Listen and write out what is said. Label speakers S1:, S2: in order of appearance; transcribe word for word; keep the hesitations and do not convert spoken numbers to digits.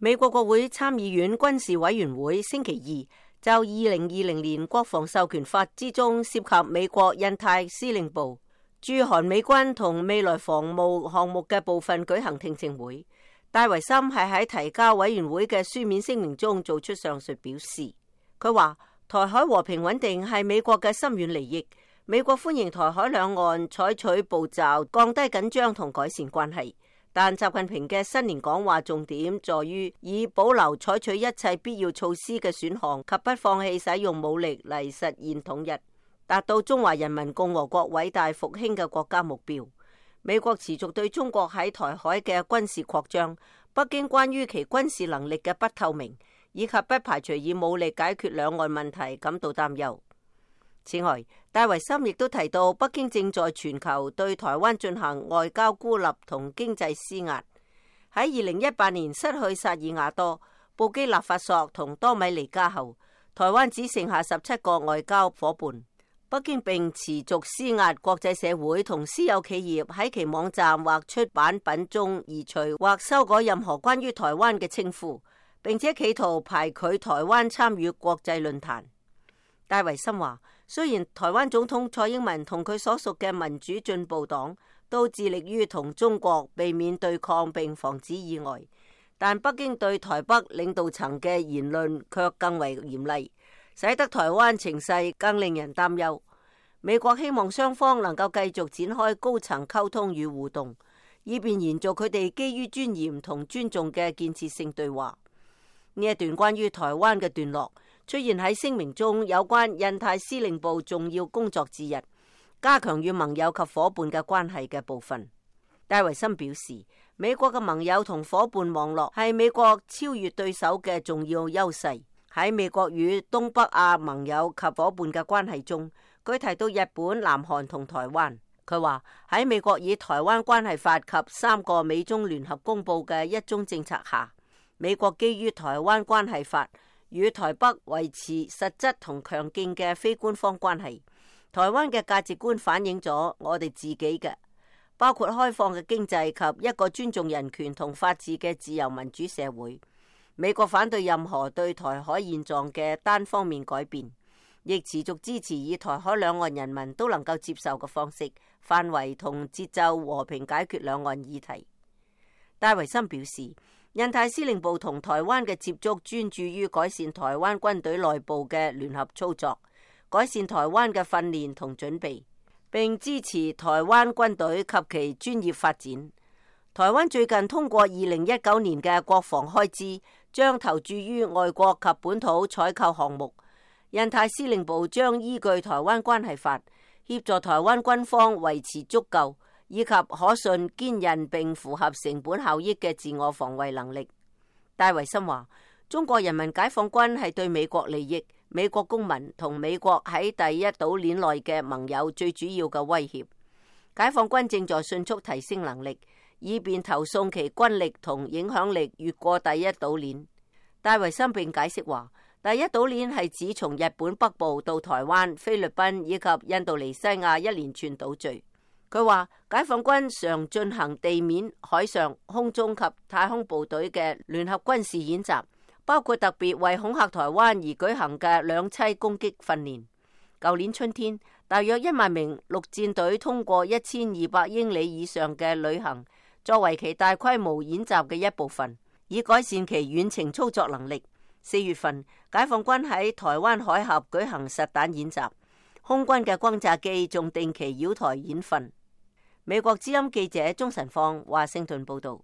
S1: 美國國會參議院軍事委員會星期二就二零二零年國防授權法之中涉及美國印太司令部駐韓美軍同未來防務項目嘅部分舉行聽證會。戴維森係喺提交委員會嘅書面聲明中做出上述表示。佢話台海和平穩定係美國嘅深遠利益，美國歡迎台海兩岸採取步驟降低緊張同改善關係。但習近平嘅新年講話重點在於以保留採取一切必要措施嘅選項及不放棄使用武力嚟實現統一，達到中華人民共和國偉大復興嘅國家目標。美國持續對中國喺台海嘅軍事擴張，北京關於其軍事能力嘅不透明，以及不排除以武力解決兩岸問題感到擔憂。此外，戴維森亦都提到，北京正在全球對台灣進行外交孤立同經濟施壓。喺二零一八年失去薩爾瓦多、布基納法索同多米尼加後，台灣只剩下十七個外交夥伴。北京並持續施壓國際社會同私有企業喺其網站或出版品中移除或修改任何關於台灣嘅稱呼，並且企圖排拒台灣參與國際論壇。戴維森話，雖然台灣總統蔡英文同佢所屬嘅民主進步黨都致力於同中國避免對抗並防止意外，但北京對台北領導層嘅言論卻更為嚴厲，使得台灣情勢更令人擔憂。美國希望雙方能夠繼續展開高層溝通與互動，以便延續佢哋基於尊嚴同尊重嘅建設性對話。呢一段關於台灣嘅段落出現喺聲明中有關印太司令部重要工作之一，加強與盟友及夥伴嘅關係嘅部分。戴維森表示，美國嘅盟友同夥伴網絡係美國超越對手嘅重要優勢。喺美國與東北亞盟友及夥伴嘅關係中，佢提到日本、南韓同台灣。佢話喺美國以台灣關係法及三個美中聯合公佈嘅一中政策下，美國基於台灣關係法與台北維持實質同強勁嘅非官方關係。台灣嘅價值觀反映咗我哋自己嘅，包括開放嘅經濟及一個尊重人權同法治嘅自由民主社會。美國反對任何對台海現狀嘅單方面改變，亦持續支持以台海兩岸人民都能夠接受嘅方式、範圍同節奏和平解決兩岸議題。戴維森表示，印太司令部同台灣嘅接觸專注於改善台灣軍隊內部嘅聯合操作，改善台灣嘅訓練同準備，並支持台灣軍隊及其專業發展。台灣最近通過二零一九年嘅國防開支，將投注於外國及本土採購項目。印太司令部將依據台灣關係法，協助台灣軍方維持足夠以及可信、堅韌並符合成本效益嘅自我防衛能力。戴維森話，中國人民解放軍係對美國利益、美國公民同美國喺第一島鏈內嘅盟友最主要嘅威脅。解放軍正在迅速提升能力，以便投送其軍力同影響力越過第一島鏈。戴維森並解釋話，第一島鏈係指從日本北部到台灣、菲律賓以及印度尼西亞一連串島嶼。佢話，解放軍常進行地面、海上、空中及太空部隊嘅聯合軍事演習，包括特別為恐嚇台灣而舉行嘅兩棲攻擊訓練。舊年春天，大約一萬名陸戰隊通過一千二百英里以上嘅旅行，作為其大規模演習嘅一部分，以改善其遠程操作能力。四月份，解放軍喺台灣海峽舉行實彈演習，空軍嘅轟炸機仲定期繞台演訓。美國之音記者鍾晨放華盛頓報道。